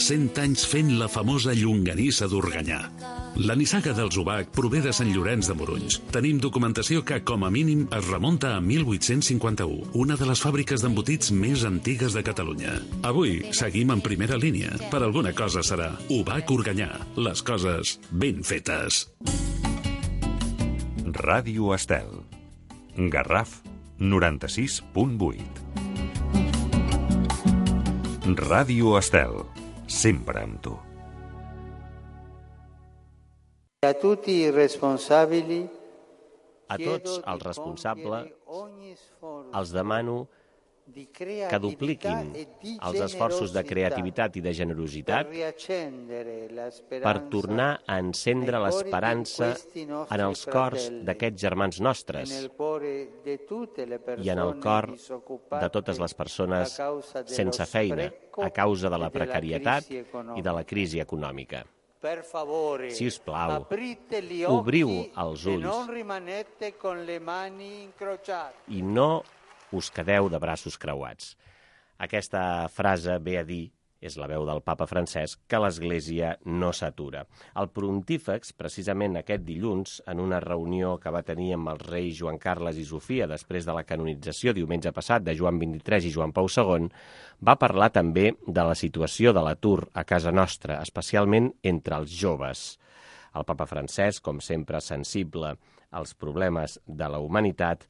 100 anys fent la famosa llonganissa d'Organyà. La nissaga dels Ubac prové de Sant Llorenç de Morunys. Tenim documentació que, com a mínim, es remunta a 1851, una de les fàbriques d'embotits més antigues de Catalunya. Avui seguim en primera línia. Per alguna cosa serà Ubac Organyà. Les coses ben fetes. Ràdio Estel. Garraf 96.8. Ràdio Estel. Sempre amb tu. A tots els responsables els demano que dupliquin els esforços de creativitat i de generositat per tornar a encendre l'esperança en els cors d'aquests germans nostres i en el cor de totes les persones sense feina a causa de la precarietat i de la crisi econòmica. Si us plau, obriu els ulls i no us quedeu de braços creuats. Aquesta frase ve a dir, és la veu del papa Francesc, que l'Església no s'atura. El pontífex, precisament aquest dilluns, en una reunió que va tenir amb els reis Joan Carles i Sofia després de la canonització diumenge passat de Joan XXIII i Joan Pau II, va parlar també de la situació de l'atur a casa nostra, especialment entre els joves. El papa Francesc, com sempre sensible als problemes de la humanitat,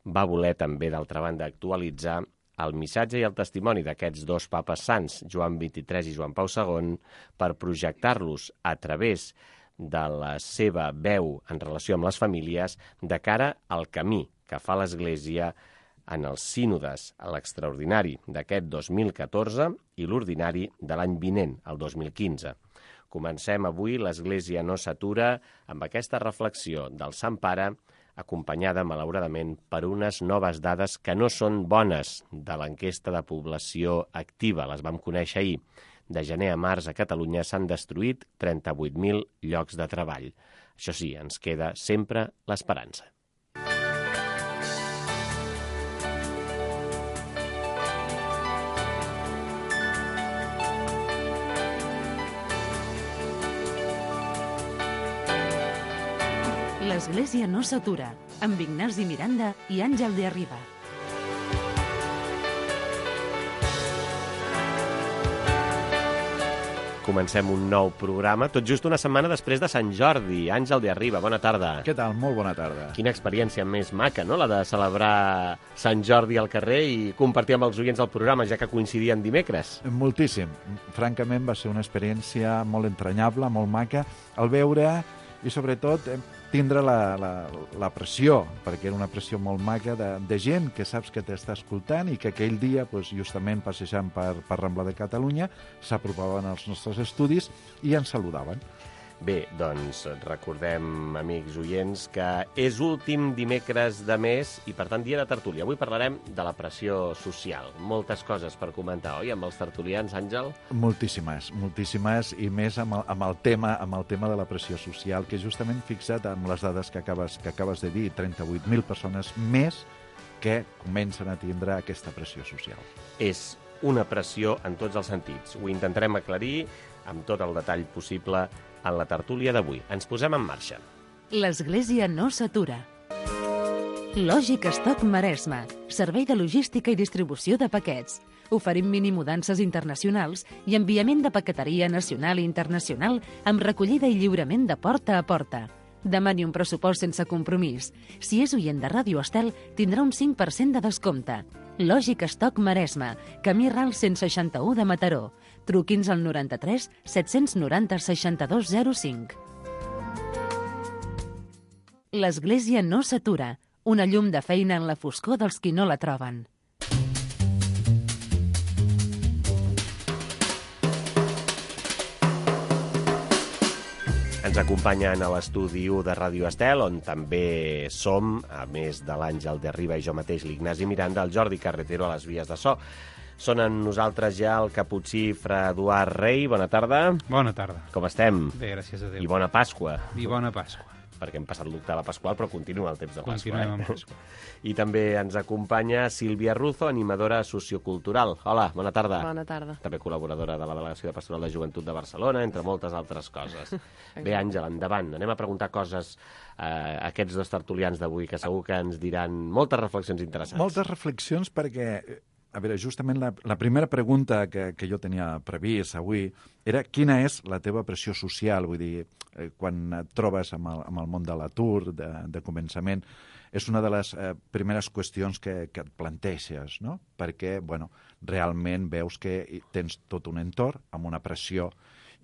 va voler també, d'altra banda, actualitzar el missatge i el testimoni d'aquests dos papes sants, Joan XXIII i Joan Pau II, per projectar-los a través de la seva veu en relació amb les famílies de cara al camí que fa l'Església en els sínodes, a l'extraordinari d'aquest 2014 i l'ordinari de l'any vinent, el 2015. Comencem avui l'Església no s'atura amb aquesta reflexió del Sant Pare, acompanyada, malauradament, per unes noves dades que no són bones de l'enquesta de població activa. Les vam conèixer ahir. De gener a març a Catalunya s'han destruït 38.000 llocs de treball. Això sí, ens queda sempre l'esperança. L'Església no s'atura, amb Ignasi Miranda i Àngel de Arriba. Comencem un nou programa, tot just una setmana després de Sant Jordi. Àngel de Arriba, bona tarda. Què tal? Molt bona tarda. Quina experiència més maca, no?, la de celebrar Sant Jordi al carrer i compartir amb els oients del programa, ja que coincidien dimecres. Moltíssim. Francament va ser una experiència molt entranyable, molt maca, al veure i sobretot tindre la pressió, perquè era una pressió molt maca de gent que saps que t'està escoltant i que aquell dia, justament passejant per Rambla de Catalunya, s'apropaven als nostres estudis i ens saludaven. Bé, doncs recordem, amics oients, que és últim dimecres de mes i, per tant, dia de tertúlia. Avui parlarem de la pressió social. Moltes coses per comentar, oi, amb els tertulians, Àngel? Moltíssimes, i més amb el tema de la pressió social, que justament fixat amb les dades que acabes de dir, 38.000 persones més que comencen a tindre aquesta pressió social. És una pressió en tots els sentits. Ho intentarem aclarir amb tot el detall possible en la tertúlia d'avui. Ens posem en marxa. L'Església no s'atura. Lògic Stock Maresme, servei de logística i distribució de paquets. Oferim minimudances internacionals i enviament de paqueteria nacional i internacional amb recollida i lliurament de porta a porta. Demani un pressupost sense compromís. Si és oient de Ràdio Estel, tindrà un 5% de descompte. Lògic Stock Maresme, camí Ral 161 de Mataró. Truqui'ns al 93 790 6205. L'Església no s'atura. Una llum de feina en la foscor dels qui no la troben. Ens acompanyen a l'estudi 1 de Ràdio Estel, on també som, a més de l'Àngel de Arriba i jo mateix, l'Ignasi Miranda, el Jordi Carretero a les vies de so. Són amb nosaltres ja el caputxí Fra Eduard Rei. Bona tarda. Bona tarda. Com estem? Bé, gràcies a Déu. I bona Pasqua. I bona Pasqua. perquè hem passat l'octava pasqual, però continua el temps de Pasqua. Continuem amb Pasqua. I també ens acompanya Sílvia Ruzo, animadora sociocultural. Hola, bona tarda. Bona tarda. També col·laboradora de la Delegació de Pastoral de Joventut de Barcelona, entre moltes altres coses. Bé, Àngela, endavant. Anem a preguntar coses a aquests dos tertulians d'avui, que segur que ens diran moltes reflexions interessants. Moltes reflexions perquè, a veure, justament la primera pregunta que jo tenia previst avui era quina és la teva pressió social, vull dir, quan et trobes amb el món de l'atur, de començament, és una de les primeres qüestions que et planteges, no? Perquè, bueno, realment veus que tens tot un entorn amb una pressió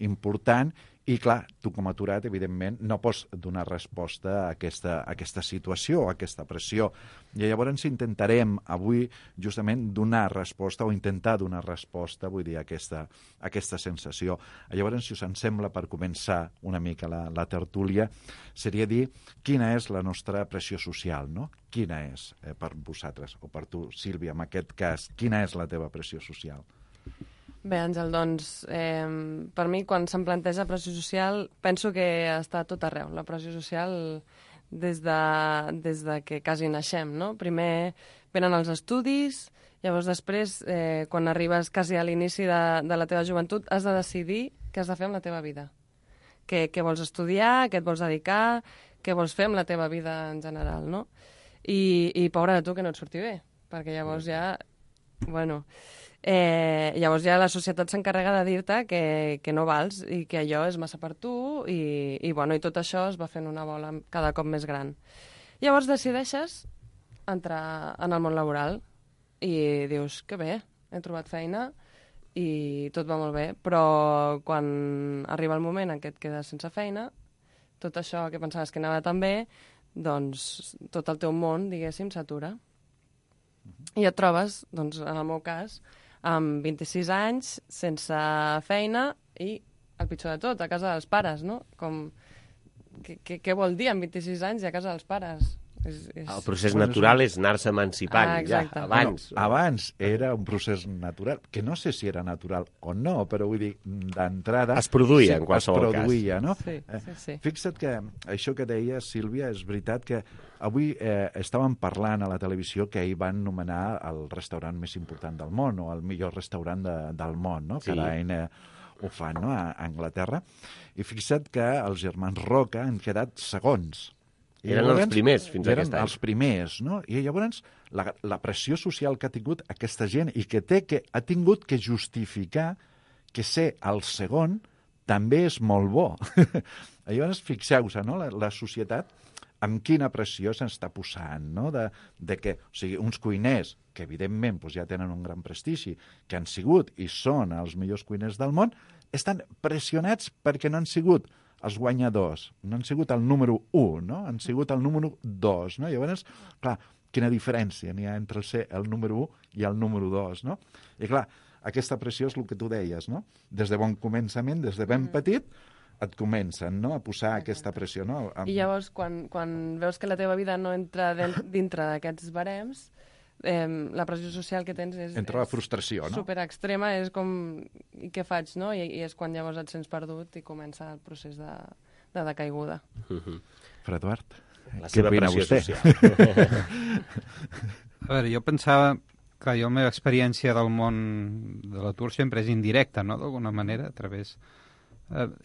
important i, clar, tu com a aturat, evidentment, no pots donar resposta a aquesta situació, a aquesta pressió. I llavors intentarem avui justament donar resposta o intentar donar resposta, vull dir, a aquesta sensació. Llavors, si us en sembla, per començar una mica la tertúlia, seria dir quina és la nostra pressió social, no? Quina és per vosaltres, o per tu, Sílvia, en aquest cas, quina és la teva pressió social? Bé, Àngel, doncs, per mi, quan se'm planteja pressió social, penso que està tot arreu. La pressió social des de que quasi naixem, no? Primer venen els estudis, llavors després, quan arribes quasi a l'inici de la teva joventut, has de decidir què has de fer amb la teva vida. Què vols estudiar, què et vols dedicar, què vols fer amb la teva vida en general, no? I pobre de tu que no et surti bé, perquè llavors ja... Bueno... llavors ja la societat s'encarrega de dir-te que no vals i que allò és massa per tu i tot això es va fent una bola cada cop més gran. Llavors decideixes entrar en el món laboral i dius que bé, he trobat feina i tot va molt bé, però quan arriba el moment en què et quedes sense feina, tot això que pensaves que anava tan bé, doncs tot el teu món, diguéssim, s'atura. I et trobes, doncs, en el meu cas, amb 26 anys, sense feina i, el pitjor de tot, a casa dels pares, no? Què vol dir amb 26 anys i a casa dels pares? El procés natural és anar-se emancipant, ja, abans. Bueno, abans era un procés natural, que no sé si era natural o no, però vull dir, d'entrada... Es produïa, en qualsevol cas. No? Sí. Fixa't que això que deia Sílvia, és veritat que avui estàvem parlant a la televisió que ahir van nomenar el restaurant més important del món, o el millor restaurant del món, no? Sí. Cada any ho fan, no? A Anglaterra. I fixa't que els germans Roca han quedat segons. Eren els primers fins aquest any. Eren els primers, no? I llavors la pressió social que ha tingut aquesta gent i que ha tingut que justificar que ser el segon també és molt bo. Llavors, fixeu-vos, no? La societat amb quina pressió s'està posant, no? De que, o sigui, uns cuiners que evidentment doncs, ja tenen un gran prestigi, que han sigut i són els millors cuiners del món, estan pressionats perquè no han sigut els guanyadors, no han sigut el número 1, no? Han sigut el número 2, no? Llavors, clar, quina diferència n'hi ha entre ser el número 1 i el número 2, no? I clar, aquesta pressió és el que tu deies, no? Des de bon començament, des de ben petit, et comencen, no?, a posar aquesta pressió, no? I llavors, quan veus que la teva vida no entra dintre d'aquests barems, la pressió social que tens és... Entra la frustració, no? Superextrema, és com... I què faig, no? I és quan llavors et sents perdut i comença el procés de decaiguda. Fra Eduard, la què seva opina pressió vostè? social. A veure, jo pensava... Clar, la meva experiència del món de l'atur sempre és indirecta, no?, d'alguna manera, a través...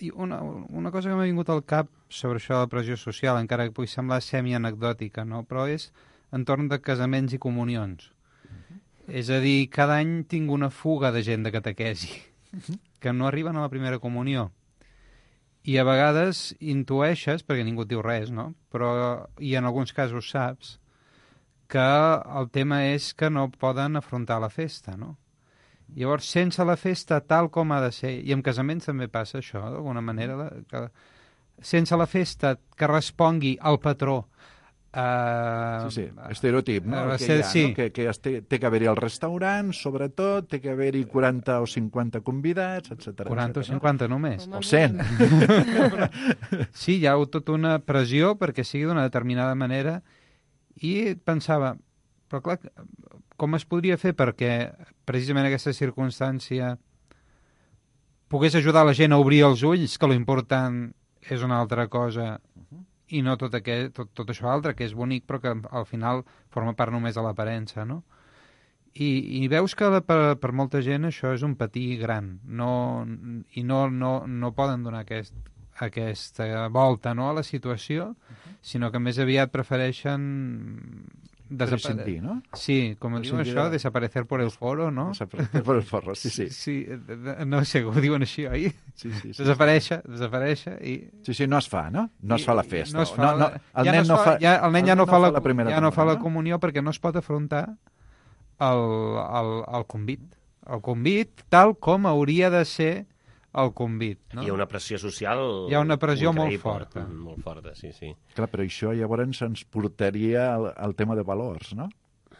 I una cosa que m'ha vingut al cap sobre això de la pressió social, encara que pugui semblar semi-anecdòtica, no?, però és entorn de casaments i comunions. És a dir, cada any tinc una fuga de gent de catequesi que no arriben a la primera comunió. I a vegades intueixes, perquè ningú et diu res, no?, però, i en alguns casos saps, que el tema és que no poden afrontar la festa, no? Llavors, sense la festa tal com ha de ser, i en casaments també passa això, d'alguna manera, que sense la festa que respongui al patró. Sí, estereotip, no? Que hi ha, sí. No? Que té que haver-hi al restaurant, sobretot, té que haver-hi 40 o 50 convidats, etc. 40 o 50 només. O 100. Sí, hi ha tota una pressió perquè sigui d'una determinada manera i pensava, però clar, com es podria fer perquè precisament aquesta circumstància pogués ajudar la gent a obrir els ulls, que l'important és una altra cosa i no tot això altre, que és bonic, però que al final forma part només de l'aparença, no? I veus que per molta gent això és un patir gran, i no poden donar aquesta volta, no, a la situació, sinó que més aviat prefereixen prescindir, no? Sí, com diuen això, desaparecer por el foro, no? Desaparecer por el foro, sí. Sí, no sé, ho diuen així, oi? Sí. Desaparèixer i... Sí, no es fa, no? No es fa la festa. El nen ja no fa la comunió perquè no es pot afrontar el convit. El convit tal com hauria de ser el convit. No? Hi ha una pressió social... Hi ha una pressió molt forta. Molt forta, sí. Clar, però això llavors ens portaria al tema de valors, no?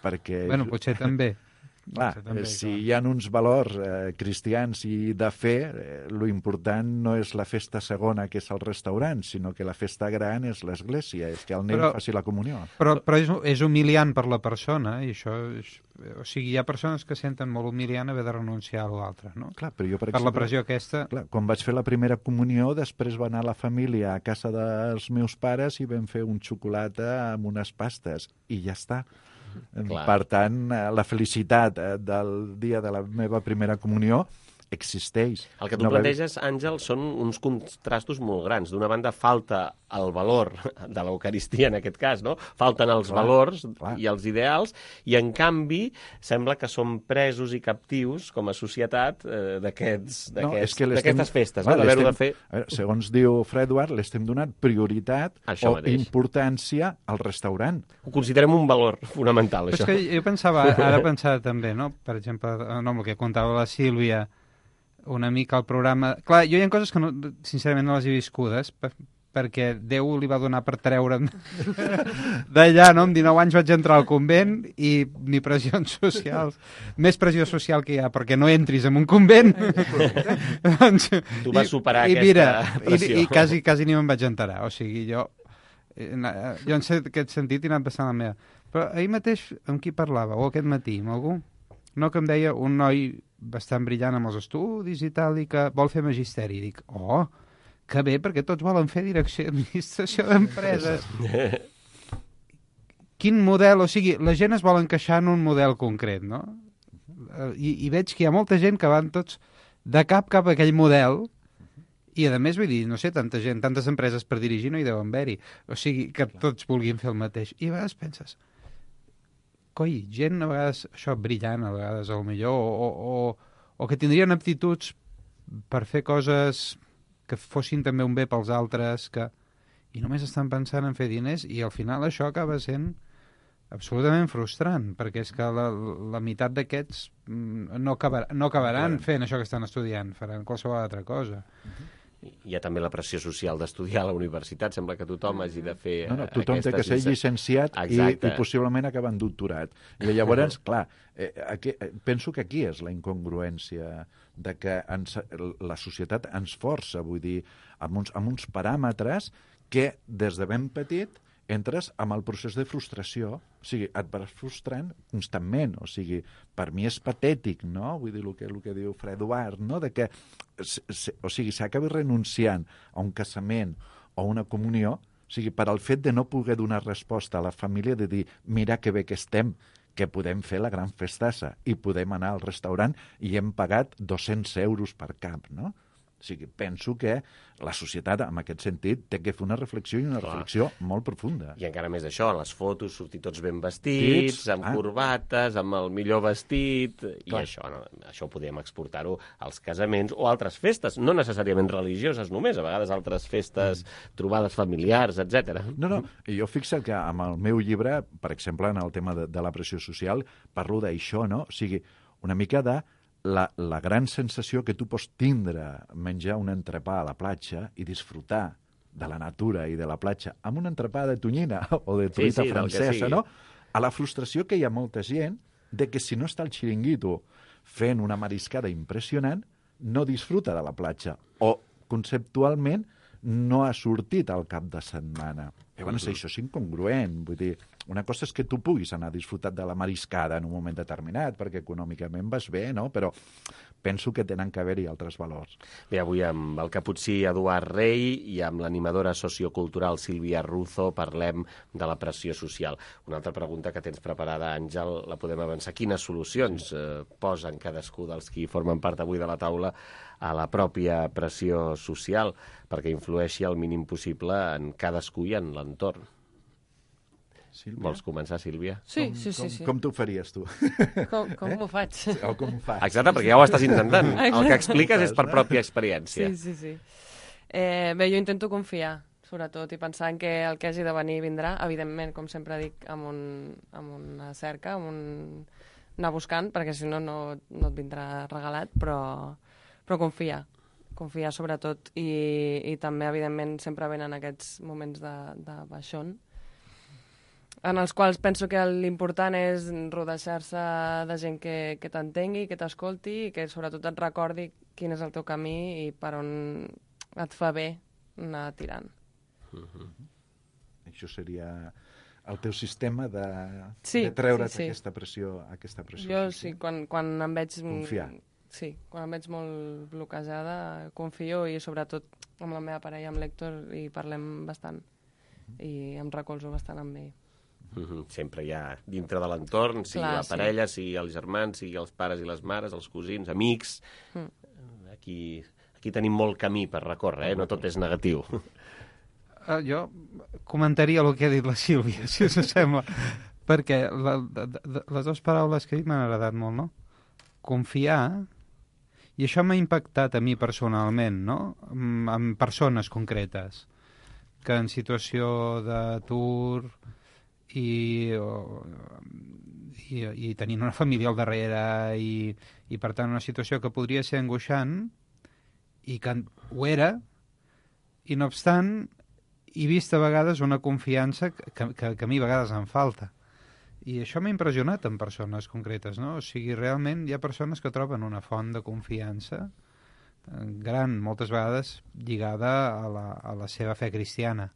Perquè... Bueno, potser també. Clar, si hi ha uns valors cristians i de fe, lo important no és la festa segona, que és el restaurant, sinó que la festa gran és l'església, és que el nen faci la comunió. Però és humiliant per la persona, i això... O sigui, hi ha persones que senten molt humiliant haver de renunciar a l'altre, no? Clar, però jo, per exemple, la pressió aquesta... Clar, quan vaig fer la primera comunió, després va anar la família a casa dels meus pares i vam fer un xocolata amb unes pastes, i ja està. Clar. Per tant, la felicitat del dia de la meva primera comunió existeix. El que tu planteges, Àngel, són uns contrastos molt grans. D'una banda, falta el valor de l'Eucaristia, en aquest cas, no? Falten els valors i els ideals, i, en canvi, sembla que som presos i captius, com a societat, d'aquestes festes. Segons diu Fredward, l'estem donant prioritat o importància al restaurant. Ho considerem un valor fonamental, això. És que jo pensava també, no? Per exemple, amb el que contava la Sílvia, una mica el programa... Clar, jo hi ha coses que, sincerament, no les he viscudes, perquè Déu li va donar per treure'm d'allà, no? Amb 19 anys vaig entrar al convent i ni pressions socials. Més pressió social que hi ha, perquè no entris en un convent. Tu vas superar aquesta pressió. I quasi ni me'n vaig enterar. O sigui, jo en aquest sentit he anat passant la meva. Però ahir mateix amb qui parlava? O aquest matí, amb algú? No, que em deia un noi bastant brillant amb els estudis i tal, i que vol fer magisteri. I dic, que bé, perquè tots volen fer direcció i administració d'empreses. Quin model? O sigui, la gent es vol encaixar en un model concret, no? I veig que hi ha molta gent que van tots de cap a aquell model, i a més, vull dir, no sé, tanta gent, tantes empreses per dirigir no hi deuen haver-hi. O sigui, que tots vulguin fer el mateix. I a vegades penses... Coi, gent a vegades, això, brillant, a vegades, millor, o que tindrien aptituds per fer coses que fossin també un bé pels altres, i només estan pensant en fer diners, i al final això acaba sent absolutament frustrant, perquè és que la meitat d'aquests no acabaran fent això que estan estudiant, faran qualsevol altra cosa. Hi ha també la pressió social d'estudiar a la universitat. Sembla que tothom hagi de fer... Tothom té que ser llicenciat i possiblement acabar en doctorat. I llavors, clar, penso que aquí és la incongruència de que la societat ens força, vull dir, amb uns paràmetres que des de ben petit entres amb el procés de frustració, o sigui, et vas frustrant constantment, o sigui, per mi és patètic, no? Vull dir, el que diu Fredward, no? De que, o sigui, s'acabi renunciant a un casament o una comunió, o sigui, per al fet de no poder donar resposta a la família, de dir, mira que bé que estem, que podem fer la gran festassa i podem anar al restaurant i hem pagat 200 euros per cap, no? O sigui, penso que la societat, en aquest sentit, té que fer una reflexió i una reflexió molt profunda. I encara més això, en les fotos sortir tots ben vestits, amb corbates, amb el millor vestit, i això ho podem exportar-ho als casaments o altres festes, no necessàriament religioses només, a vegades altres festes, trobades familiars, etc. No, jo fixa't que amb el meu llibre, per exemple, en el tema de la pressió social, parlo d'això, no? O sigui, una mica de la gran sensació que tu pots tindre menjar un entrepà a la platja i disfrutar de la natura i de la platja amb un entrepà de tonyina o de truita francesa, no? A la frustració que hi ha molta gent de que si no està el xiringuito fent una mariscada impressionant, no disfruta de la platja o conceptualment no ha sortit al cap de setmana. Llavors, això és incongruent, vull dir, una cosa és que tu puguis anar a disfrutar de la mariscada en un moment determinat, perquè econòmicament vas bé, no? Però penso que tenen que haver-hi altres valors. Bé, avui amb el caputxí Eduard Rey i amb l'animadora sociocultural Sílvia Ruzo parlem de la pressió social. Una altra pregunta que tens preparada, Àngel, la podem avançar. Quines solucions posen cadascú dels qui formen part avui de la taula a la pròpia pressió social perquè influeixi el mínim possible en cadascú i en l'entorn? Sílvia? Vols començar, Sílvia? Sí. Com t'ho faries, tu? Com ho faig? O com ho fas? Exacte, perquè ja ho estàs intentant. El que expliques és per pròpia experiència. Sí. Bé, jo intento confiar, sobretot, i pensar en que el que hagi de venir vindrà, evidentment, com sempre dic, amb una cerca, anar buscant, perquè si no, no et vindrà regalat, però confiar sobretot, i també, evidentment, sempre venen aquests moments de baixón, en els quals penso que l'important és rodejar-se de gent que t'entengui, que t'escolti, i que sobretot et recordi quin és el teu camí i per on et fa bé anar tirant. Això seria el teu sistema de treure't aquesta pressió Jo sí, quan em veig... Confiar. Sí, quan em veig molt bloquejada, confio, i sobretot amb la meva parella, amb l'Héctor, i parlem bastant. I em recolzo bastant amb ell. Sempre hi ha dintre de l'entorn, sigui la parella, sigui els germans, sigui els pares i les mares, els cosins, amics. Aquí tenim molt camí per recórrer, no tot és negatiu. Jo comentaria el que ha dit la Sílvia, si us sembla, perquè les dues paraules que he dit m'han agradat molt, no? Confiar, i això m'ha impactat a mi personalment, no? En persones concretes, que en situació d'atur i tenint una família al darrere i per tant una situació que podria ser angoixant, i que ho era, i no obstant he vist a vegades una confiança que a mi a vegades em falta. I això m'ha impressionat en persones concretes, no? O sigui, realment hi ha persones que troben una font de confiança gran, moltes vegades lligada a la seva fe cristiana.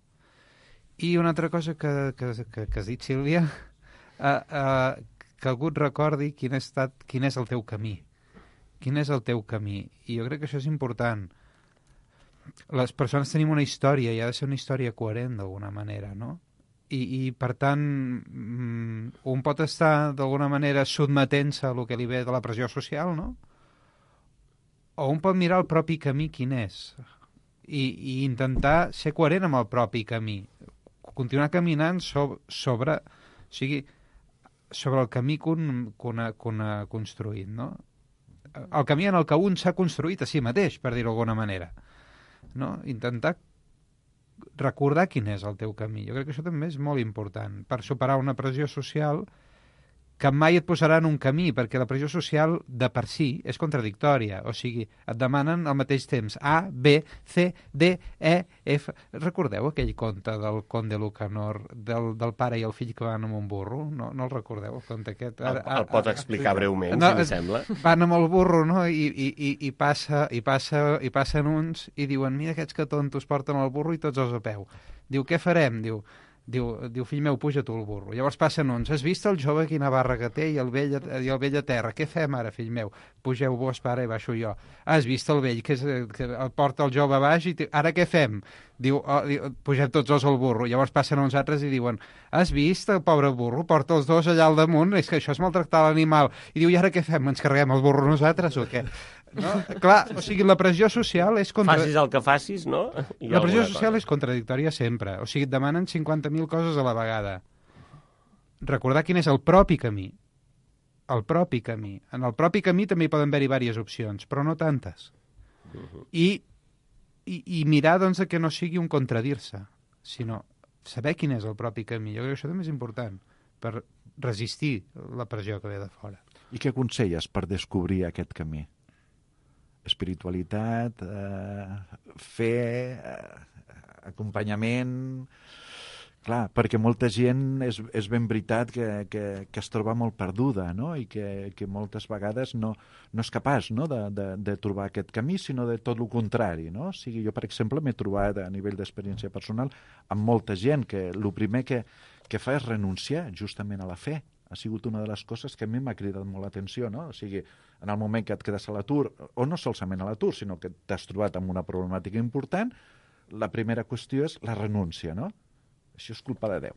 I una altra cosa que has dit, Sílvia, que algú et recordi quin és el teu camí. Quin és el teu camí? I jo crec que això és important. Les persones tenim una història i ha de ser una història coherent d'alguna manera, no? I per tant, un pot estar d'alguna manera sotmetent-se a el que li ve de la pressió social, no? O un pot mirar el propi camí quin és i intentar ser coherent amb el propi camí. Continuar caminant sobre el camí que un ha construït, no? El camí en el que un s'ha construït a si mateix, per dir-ho d'alguna manera, no? Intentar recordar quin és el teu camí. Jo crec que això també és molt important per superar una pressió social que mai et posarà en un camí, perquè la pressió social de per si és contradictòria, o sigui, et demanen al mateix temps A, B, C, D, E, F... Recordeu aquell conte del Conde Lucanor, del pare i el fill que van amb un burro? No el recordeu, el conte aquest? El pots explicar breument, si em sembla. Van amb el burro, no?, i passen uns i diuen, mira aquests que tontos porten el burro i tots els a peu. Diu, què farem? Diu, fill meu, puja tu al burro. Llavors passen uns, has vist el jove quina barra que té i el vell a terra? Què fem ara, fill meu? Pugeu vos, pare, i baixo jo. Has vist el vell que porta el jove a baix i ara què fem? Diu, pugem tots dos al burro. Llavors passen uns altres i diuen, has vist el pobre burro? Porta els dos allà al damunt, és que això és maltractar l'animal. I diu, i ara què fem? Ens carreguem el burro nosaltres o què? No? Clar, o sigui, la pressió social és... Facis el que facis, no? La pressió social és contradictòria sempre. O sigui, et demanen 50.000 coses a la vegada. Recordar quin és el propi camí. El propi camí. En el propi camí també hi poden haver-hi diverses opcions, però no tantes. I mirar, doncs, que no sigui un contradir-se, sinó saber quin és el propi camí. Jo crec que això també és important per resistir la pressió que ve de fora. I què aconselles per descobrir aquest camí? Espiritualitat, fe, acompanyament... Clar, perquè molta gent és ben veritat que es troba molt perduda, no? I que moltes vegades no és capaç, no? de trobar aquest camí, sinó de tot el contrari, no? O sigui, jo, per exemple, m'he trobat a nivell d'experiència personal amb molta gent que el primer que fa és renunciar justament a la fe, ha sigut una de les coses que a mi m'ha cridat molt l'atenció, no? O sigui, en el moment que et quedes a l'atur, o no solament a l'atur, sinó que t'has trobat amb una problemàtica important, la primera qüestió és la renúncia, no? Això és culpa de Déu.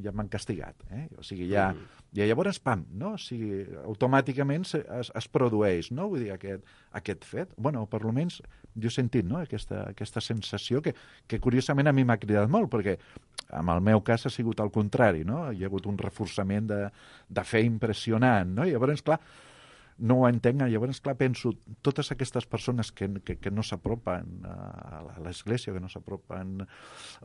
Ja m'han castigat. O sigui, ja llavors, pam, no? O sigui, automàticament es produeix, no? Vull dir, aquest fet. Bueno, per almenys jo he sentit, no? Aquesta sensació que curiosament a mi m'ha cridat molt, perquè en el meu cas ha sigut al contrari, no? Hi ha hagut un reforçament de fe impressionant, no? I llavors, clar, no ho entenc, llavors, clar, penso, totes aquestes persones que no s'apropen a l'Església, que no s'apropen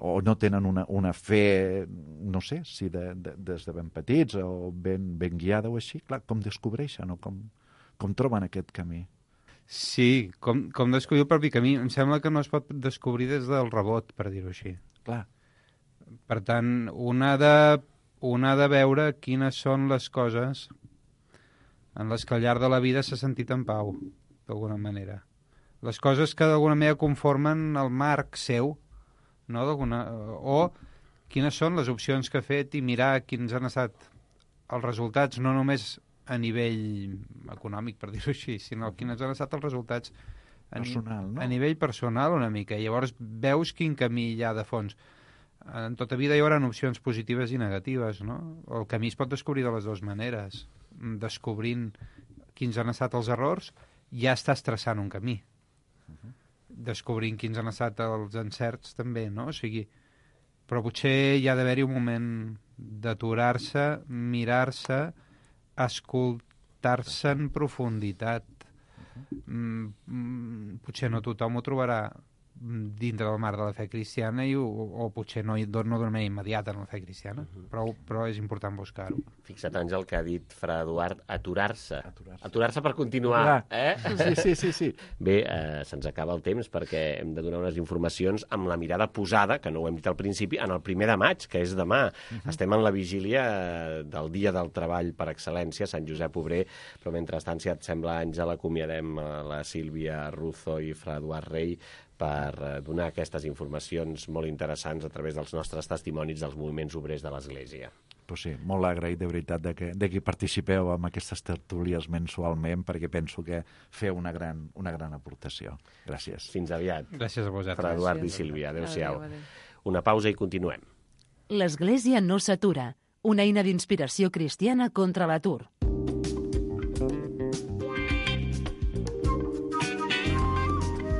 o no tenen una fe, no sé, si des de ben petits o ben guiada o així, clar, com descobreixen o com troben aquest camí? Sí, com descobrir el propi camí. Em sembla que no es pot descobrir des del rebot, per dir-ho així. Clar. Per tant, un ha de veure quines són les coses en les que al llarg de la vida s'ha sentit en pau, d'alguna manera. Les coses que d'alguna manera conformen el marc seu, no? O quines són les opcions que ha fet i mirar quins han estat els resultats, no només a nivell econòmic, per dir-ho així, sinó quins han estat els resultats personal, no? A nivell personal una mica. I llavors veus quin camí hi ha de fons. En tota vida hi haurà opcions positives i negatives, no? El camí es pot descobrir de les dues maneres. Descobrint quins han estat els errors, ja estàs traçant un camí. Descobrint quins han estat els encerts, també, no? O sigui, però potser hi ha d'haver-hi un moment d'aturar-se, mirar-se, escoltar-se en profunditat. Potser no tothom ho trobarà dintre del marc de la fe cristiana o potser no d'una manera immediata en la fe cristiana, però és important buscar-ho. Fixa't, Àngel, que ha dit Fra Eduard, aturar-se. Aturar-se per continuar. Sí. Bé, se'ns acaba el temps perquè hem de donar unes informacions amb la mirada posada, que no ho hem dit al principi, en el 1 de maig, que és demà. Estem en la vigília del Dia del Treball per excel·lència, Sant Josep Obrer, però mentrestant, si et sembla, Àngel, acomiadem la Sílvia Ruzo i Fra Eduard Rey per donar aquestes informacions molt interessants a través dels nostres testimonis dels moviments obrers de l'Església. Pues sí, molt agraït de veritat de que participeu en aquestes tertúlies mensualment, perquè penso que feu una gran aportació. Gràcies. Fins aviat. Gràcies a vosaltres. Fra Eduard i Sílvia, adéu-siau. Una pausa i continuem. L'Església no s'atura, una eina d'inspiració cristiana contra l'atur.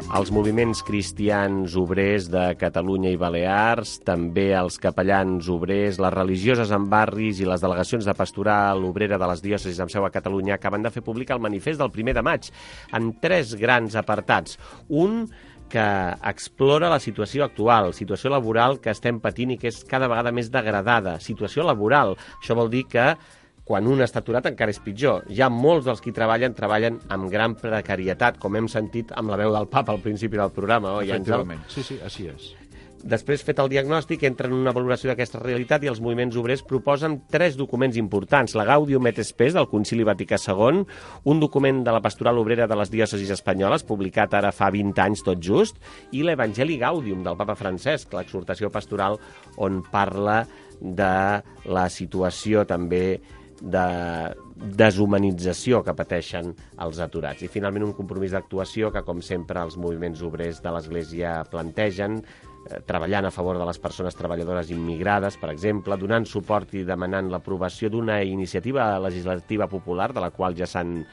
Els moviments cristians obrers de Catalunya i Balears, també els capellans obrers, les religioses en barris i les delegacions de pastoral obrera de les diòcesis amb seu a Catalunya acaben de fer públic el manifest del 1 de maig en 3 grans apartats. Un que explora la situació actual, situació laboral que estem patint i que és cada vegada més degradada. Situació laboral. Això vol dir que quan un està aturat encara és pitjor. Ja molts dels qui treballen amb gran precarietat, com hem sentit amb la veu del papa al principi del programa, oi, Àngel? Efectivament, sí, així és. Després, fet el diagnòstic, entren en una valoració d'aquesta realitat i els moviments obrers proposen 3 documents importants. La Gaudium et Spes del Concili Vaticà II, un document de la Pastoral Obrera de les Diòcesis Espanyoles, publicat ara fa 20 anys tot just, i l'Evangeli Gaudium del papa Francesc, l'exhortació pastoral on parla de la situació també de deshumanització que pateixen els aturats. I finalment un compromís d'actuació que, com sempre, els moviments obrers de l'Església plantegen, treballant a favor de les persones treballadores immigrades, per exemple, donant suport i demanant l'aprovació d'una iniciativa legislativa popular, de la qual ja s'han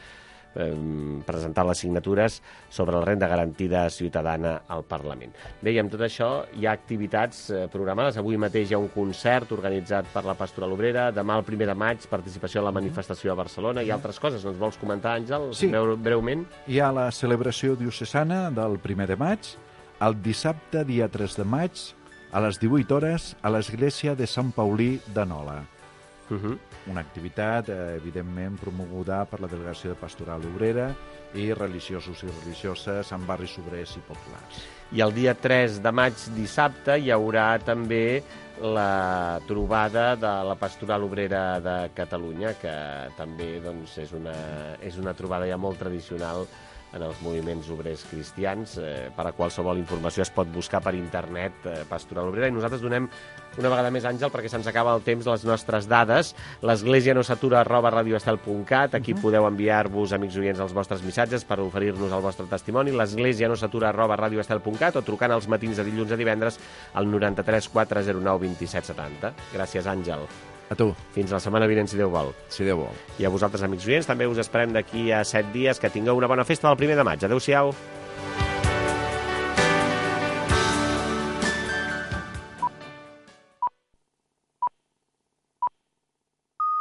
presentat les signatures sobre la renda garantida ciutadana al Parlament. Bé, i amb tot això hi ha activitats programades. Avui mateix hi ha un concert organitzat per la Pastoral Obrera, demà el 1 de maig, participació a la manifestació a Barcelona i altres coses. Ens vols comentar, Àngel, sí, breument? Hi ha la celebració diocesana del 1 de maig, el dissabte, dia 3 de maig, a les 18 hores, a l'església de Sant Paulí de Nola. Una activitat, evidentment, promoguda per la Delegació de Pastoral Obrera i religiosos i religioses en barris obrers i populars. I el dia 3 de maig, dissabte, hi haurà també la trobada de la Pastoral Obrera de Catalunya, que també doncs, és una trobada ja molt tradicional en els moviments obrers cristians. Per a qualsevol informació es pot buscar per internet Pastoral Obrera, i nosaltres donem una vegada més, Àngel, perquè se'ns acaba el temps, les nostres dades. L'Església no s'atura @radioestel.cat. Aquí podeu enviar-vos, amics oients, els vostres missatges per oferir-nos el vostre testimoni. L'Església no s'atura @radioestel.cat, o trucant els matins de dilluns a divendres al 93 409 27 70. Gràcies, Àngel. A tu. Fins la setmana vinent, si Déu vol. Si Déu vol. I a vosaltres, amics oients, també us esperem d'aquí a 7 dies. Que tingueu una bona festa del 1 de maig. Adéu-siau.